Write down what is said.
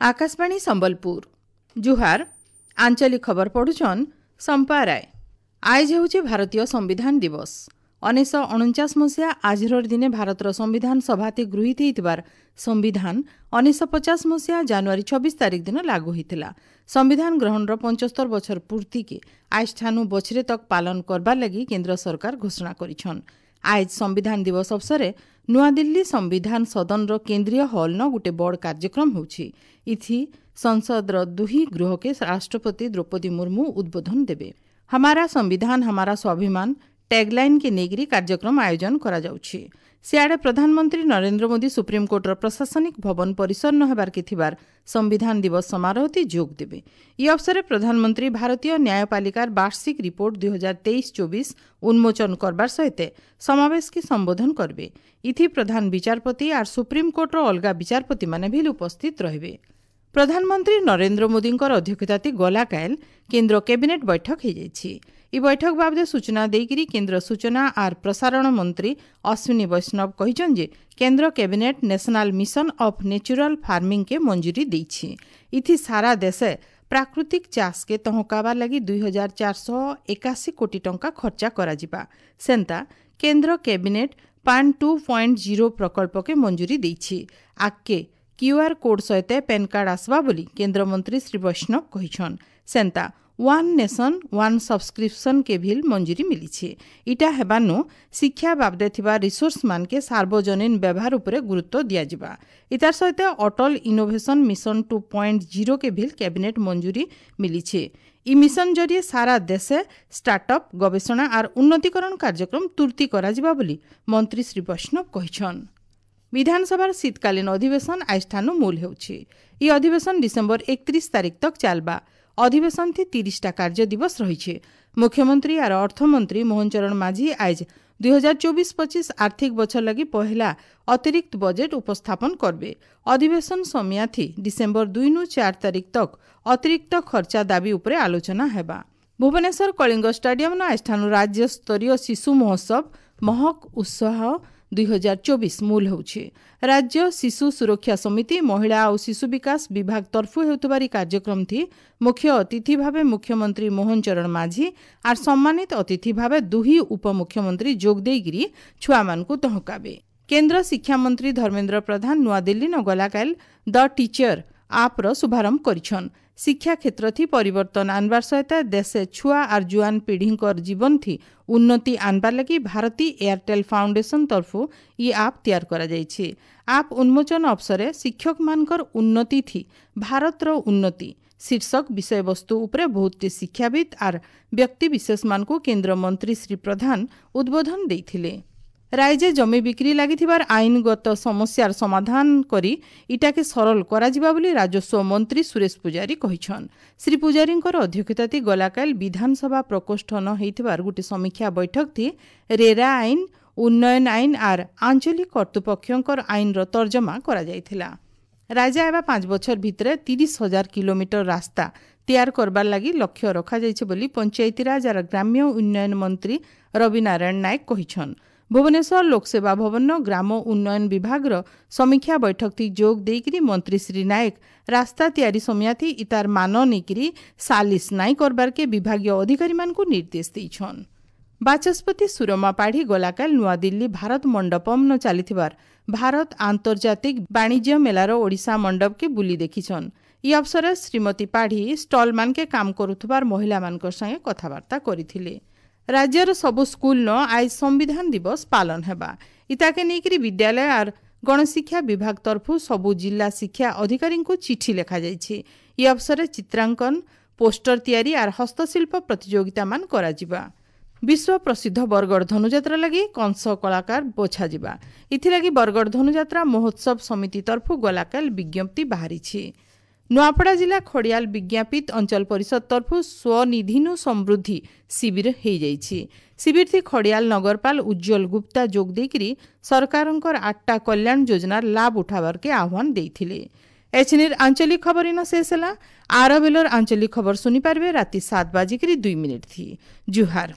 ଆକାଶବାଣୀ ସମ୍ବଲପୁର। ଜୁହାର। ଆଞ୍ଚଳିକ ଖବର ପଢୁଛନ୍ ସମ୍ପା ରାୟ। ଆଇଜ ହେଉଛି ଭାରତୀୟ ସମ୍ବିଧାନ ଦିବସ। 1949 ମସିହା ଆଜିର ଦିନେ ଭାରତର ସମ୍ବିଧାନ ସଭାତି ଗୃହୀତ ହୋଇଥିବାର ସମ୍ବିଧାନ 1950 ମସିହା ଜାନୁଆରୀ 26 ତାରିଖ ଦିନ ଲାଗୁ ହୋଇଥିଲା। ସମ୍ବିଧାନ ଗ୍ରହଣର 75 ବଛର ପୂର୍ତ୍ତିକେ ଆଇଜଠାନୁ ବଛରେ ତକ୍ ପାଳନ କରବାର ଲାଗି କେନ୍ଦ୍ର ସରକାର ଘୋଷଣା କରିଛନ୍। ଆଇଜ ସମ୍ବିଧାନ ଦିବସ ଅବସରେ ନୂଆଦିଲ୍ଲୀ ସମ୍ବିଧାନ ସଦନର କେନ୍ଦ୍ରୀୟ ହଲ୍ନ ଗୋଟେ ବଡ଼ କାର୍ଯ୍ୟକ୍ରମ ହେଉଛି। ଇଥି ସଂସଦର ଦୁହି ଗୃହକେ ରାଷ୍ଟ୍ରପତି ଦ୍ରୌପଦୀ ମୁର୍ମୁ ଉଦ୍ବୋଧନ ଦେବେ। ହମାରା ସମ୍ବିଧାନ ହମାରା ସ୍ୱାଭିମାନ ଟ୍ୟାଗ୍ଲାଇନ୍କେ ନେଇକରି କାର୍ଯ୍ୟକ୍ରମ ଆୟୋଜନ କରାଯାଉଛି। ସିଆଡ଼େ ପ୍ରଧାନମନ୍ତ୍ରୀ ନରେନ୍ଦ୍ର ମୋଦି ସୁପ୍ରିମକୋର୍ଟର ପ୍ରଶାସନିକ ଭବନ ପରିସର ନ ହେବାର୍କେ ଥିବାର ସମ୍ବିଧାନ ଦିବସ ସମାରୋହତି ଯୋଗ ଦେବେ। ଇ ଅବସରେ ପ୍ରଧାନମନ୍ତ୍ରୀ ଭାରତୀୟ ନ୍ୟାୟପାଳିକାର ବାର୍ଷିକ ରିପୋର୍ଟ 2023-24 ଉନ୍ମୋଚନ କରବାର ସହିତ ସମାବେଶକେ ସମ୍ବୋଧନ କରିବେ। ଇଥି ପ୍ରଧାନ ବିଚାରପତି ଆର୍ ସୁପ୍ରିମକୋର୍ଟର ଅଲଗା ବିଚାରପତିମାନେ ବି ଉପସ୍ଥିତ ରହିବେ। ପ୍ରଧାନମନ୍ତ୍ରୀ ନରେନ୍ଦ୍ର ମୋଦିଙ୍କର ଅଧ୍ୟକ୍ଷତାତି ଗଲାକାଏଲ କେନ୍ଦ୍ର କ୍ୟାବିନେଟ୍ ବୈଠକ ହୋଇଯାଇଛି। ଇ ବୈଠକ ବାବଦେ ସୂଚନା ଦେଇକରି କେନ୍ଦ୍ର ସୂଚନା ଆର୍ ପ୍ରସାରଣ ମନ୍ତ୍ରୀ ଅଶ୍ୱିନୀ ବୈଷ୍ଣବ କହିଛନ୍ ଯେ କେନ୍ଦ୍ର cabinet national mission of natural ଫାର୍ମିଂକେ ମଞ୍ଜୁରୀ ଦେଇଛି। ଇଥି ସାରା ଦେଶେ ପ୍ରାକୃତିକ ଚାଷକେ ତହକାବାର ଲାଗି 2481 କୋଟି ଟଙ୍କା ଖର୍ଚ୍ଚା କରାଯିବା। ସେନ୍ତା କେନ୍ଦ୍ର କ୍ୟାବିନେଟ୍ ପାନ୍ 2.0 ପ୍ରକଳ୍ପକେ ମଞ୍ଜୁରୀ ଦେଇଛି। ଆଗ୍କେ କ୍ୟୁଆର୍ କୋଡ୍ ସହିତ ପ୍ୟାନ୍ କାର୍ଡ ଆସବା ବୋଲି କେନ୍ଦ୍ରମନ୍ତ୍ରୀ ଶ୍ରୀ ବୈଷ୍ଣବ କହିଛନ୍। ସେନ୍ତା ୱାନ୍ ନେସନ୍ ୱାନ୍ ସବସ୍କ୍ରିପସନ୍ କେ ଭିଲ୍ ମଞ୍ଜୁରୀ ମିଲିଛି। ଇଟା ହେବାନୁ ଶିକ୍ଷା ବାବଦେ ଥିବା ରିସୋର୍ସ ମାନକେ ସାର୍ବଜନୀନ ବ୍ୟବହାର ଉପରେ ଗୁରୁତ୍ୱ ଦିଆଯିବା। ଇତାର ସହିତ ଅଟଲ ଇନୋଭେସନ ମିଶନ 2.0 କେ ଭିଲ୍ କ୍ୟାବିନେଟ୍ ମଞ୍ଜୁରୀ ମିଲିଛି। ଇ ମିଶନ ଜରିଏ ସାରା ଦେଶେ ଷ୍ଟାର୍ଟଅପ୍, ଗବେଷଣା ଆର୍ ଉନ୍ନତିକରଣ କାର୍ଯ୍ୟକ୍ରମ ତୁର୍ତି କରାଯିବା ବୋଲି ମନ୍ତ୍ରୀ ଶ୍ରୀ ବୈଷ୍ଣବ କହିଛନ୍। ବିଧାନସଭାର ଶୀତକାଳୀନ ଅଧିବେଶନ ଆଇଜଠାନୁ ମୂଲ ହେଉଛି। ଇ ଅଧିବେଶନ ଡିସେମ୍ବର 31 ତାରିଖ ତକ୍ ଚାଲବା। ଅଧିବେଶନ ଥି 30ଟା କାର୍ଯ୍ୟ ଦିବସ ରହିছে। ମୁଖ୍ୟମନ୍ତ୍ରୀ ଆର୍ ଅର୍ଥମନ୍ତ୍ରୀ ମୋହନ ଚରଣ ମାଝୀ ଆଇଜ 2024-25 ଆର୍ଥିକ ବଛର ଲାଗି ପହେଲା ଅତିରିକ୍ତ ବଜେଟ୍ ଉପସ୍ଥାପନ କରବେ। ଅଧିବେଶନ ସମିୟାଥି ଡିସେମ୍ବର 2ନୁ 4 ତାରିଖ ତକ୍ ଅତିରିକ୍ତ ଖର୍ଚ୍ଚା ଦାବି ଉପରେ ଆଲୋଚନା ହେବା। ଭୁବନେଶ୍ୱର କଳିଙ୍ଗ ଷ୍ଟାଡିୟମନ ଆଇଜଠାନୁ ରାଜ୍ୟସ୍ତରୀୟ ଶିଶୁ ମହୋତ୍ସବ ମହକ ଉତ୍ସାହ 2024 ମୂଲ ହେଉଛି। ରାଜ୍ୟ ଶିଶୁ ସୁରକ୍ଷା ସମିତି, ମହିଳା ଆଉ ଶିଶୁ ବିକାଶ ବିଭାଗ ତରଫୁ ହେଉଥିବାର ଏହି କାର୍ଯ୍ୟକ୍ରମ ଥି ମୁଖ୍ୟ ଅତିଥି ଭାବେ ମୁଖ୍ୟମନ୍ତ୍ରୀ ମୋହନ ଚରଣ ମାଝୀ ଆର୍ ସମ୍ମାନିତ ଅତିଥି ଭାବେ ଦୁହି ଉପମୁଖ୍ୟମନ୍ତ୍ରୀ ଯୋଗ ଦେଇକିରି ଛୁଆମାନଙ୍କୁ ତହକାବେ। କେନ୍ଦ୍ର ଶିକ୍ଷାମନ୍ତ୍ରୀ ଧର୍ମେନ୍ଦ୍ର ପ୍ରଧାନ ନୂଆଦିଲ୍ଲୀ ନ ଗଲାକାଲ ଦ ଟିଚର ଆପ୍ର ଶୁଭାରମ୍ଭ କରିଛନ୍। ଶିକ୍ଷା କ୍ଷେତ୍ରଥି ପରିବର୍ତ୍ତନ ଆନବାର ସହିତ ଦେଶେ ଛୁଆ ଆର୍ ଜୁଆନ ପିଢ଼ିଙ୍କର ଜୀବନଥି ଉନ୍ନତି ଆନବାର ଲାଗି ଭାରତୀ ଏୟାରଟେଲ୍ ଫାଉଣ୍ଡେସନ ତରଫୁ ଇ ଆପ୍ ତିଆର କରାଯାଇଛି। ଆପ୍ ଉନ୍ମୋଚନ ଅବସରେ ଶିକ୍ଷକମାନଙ୍କର ଉନ୍ନତି ଥି ଭାରତର ଉନ୍ନତି ଶୀର୍ଷକ ବିଷୟବସ୍ତୁ ଉପରେ ବହୁତଟି ଶିକ୍ଷାବିତ୍ ଆର୍ ବ୍ୟକ୍ତିବିଶେଷମାନଙ୍କୁ କେନ୍ଦ୍ରମନ୍ତ୍ରୀ ଶ୍ରୀ ପ୍ରଧାନ ଉଦ୍ବୋଧନ ଦେଇଥିଲେ। ରାଇଜେ ଜମି ବିକ୍ରି ଲାଗିଥିବାର ଆଇନଗତ ସମସ୍ୟାର ସମାଧାନ କରି ଇଟାକେ ସରଳ କରାଯିବା ବୋଲି ରାଜସ୍ୱ ମନ୍ତ୍ରୀ ସୁରେଶ ପୂଜାରୀ କହିଛନ୍। ଶ୍ରୀ ପୂଜାରୀଙ୍କର ଅଧ୍ୟକ୍ଷତାତି ଗଲାକାଲ ବିଧାନସଭା ପ୍ରକୋଷ୍ଠ ନ ହେଇଥିବାର ଗୋଟିଏ ସମୀକ୍ଷା ବୈଠକ ଥି ରେରା ଆଇନ, ଉନ୍ନୟନ ଆଇନ ଆର୍ ଆଞ୍ଚଳିକ କର୍ତ୍ତୃପକ୍ଷଙ୍କର ଆଇନର ତର୍ଜମା କରାଯାଇଥିଲା। ରାଜା ହେବା 5 ବଛର ଭିତରେ 30,000 କିଲୋମିଟର ରାସ୍ତା ତିଆର କରବାର ଲାଗି ଲକ୍ଷ୍ୟ ରଖାଯାଇଛି ବୋଲି ପଞ୍ଚାୟତିରାଜ ଆର୍ ଗ୍ରାମ୍ୟ ଉନ୍ନୟନ ମନ୍ତ୍ରୀ ରବିନାରାୟଣ ନାୟକ କହିଛନ୍। ଭୁବନେଶ୍ୱର ଲୋକସେବା ଭବନ ଗ୍ରାମ ଉନ୍ନୟନ ବିଭାଗର ସମୀକ୍ଷା ବୈଠକଥି ଯୋଗ ଦେଇକରି ମନ୍ତ୍ରୀ ଶ୍ରୀ ନାୟକ ରାସ୍ତା ତିଆରି ସମିୟାଥି ଇତାର ମାନ ନେଇକରି ସାଲିସ ନାଇଁ କରବାରକେ ବିଭାଗୀୟ ଅଧିକାରୀମାନଙ୍କୁ ନିର୍ଦ୍ଦେଶ ଦେଇଛନ୍। ବାଚସ୍ପତି ସୁରମା ପାଢ଼ୀ ଗଲାକାଲ ନୂଆଦିଲ୍ଲୀ ଭାରତ ମଣ୍ଡପମ୍ ନ ଚାଲିଥିବାର ଭାରତ ଆନ୍ତର୍ଜାତିକ ବାଣିଜ୍ୟ ମେଲାର ଓଡ଼ିଶା ମଣ୍ଡପକେ ବୁଲି ଦେଖିଛନ୍। ଇ ଅବସରରେ ଶ୍ରୀମତୀ ପାଢ଼ୀ ଷ୍ଟଲମାନକେ କାମ କରୁଥିବାର ମହିଳାମାନଙ୍କର ସାଙ୍ଗେ କଥାବାର୍ତ୍ତା କରିଥିଲେ। ରାଜ୍ୟର ସବୁ ସ୍କୁଲନ ଆଇଜ ସମ୍ବିଧାନ ଦିବସ ପାଳନ ହେବା। ଇତାକେ ନେଇକରି ବିଦ୍ୟାଳୟ ଆର୍ ଗଣଶିକ୍ଷା ବିଭାଗ ତରଫୁ ସବୁ ଜିଲ୍ଲା ଶିକ୍ଷା ଅଧିକାରୀଙ୍କୁ ଚିଠି ଲେଖାଯାଇଛି। ଇ ଅବସରରେ ଚିତ୍ରାଙ୍କନ, ପୋଷ୍ଟର ତିଆରି ଆର୍ ହସ୍ତଶିଳ୍ପ ପ୍ରତିଯୋଗିତାମାନ କରାଯିବା। ବିଶ୍ୱ ପ୍ରସିଦ୍ଧ ବରଗଡ଼ ଧନୁଯାତ୍ରା ଲାଗି କଂସ କଳାକାର ବଛାଯିବା। ଏଥିଲାଗି ବରଗଡ଼ ଧନୁଯାତ୍ରା ମହୋତ୍ସବ ସମିତି ତରଫୁ ଗଲାକାଲ ବିଜ୍ଞପ୍ତି ବାହାରିଛି। ନୂଆପଡ଼ା ଜିଲ୍ଲା ଖଡ଼ିଆଲ ବିଜ୍ଞାପିତ ଅଞ୍ଚଳ ପରିଷଦ ତରଫୁ ସ୍ୱନିଧିନୁ ସମୃଦ୍ଧି ଶିବିର ହେଇଯାଇଛି। ଶିବିରଥି ଖଡ଼ିଆଲ ନଗରପାଲ ଉଜ୍ଜଳ ଗୁପ୍ତା ଯୋଗ ଦେଇକରି ସରକାରଙ୍କର 8ଟା କଲ୍ୟାଣ ଯୋଜନାର ଲାଭ ଉଠାବାରକେ ଆହ୍ୱାନ ଦେଇଥିଲେ। ଏଛିନିର ଆଞ୍ଚଳିକ ଖବର ଇନ ଶେଷ ହେଲା। ଆର ବେଲର ଆଞ୍ଚଳିକ ଖବର ଶୁଣିପାରିବେ ରାତି 7:02 ଥି। ଜୁହାର।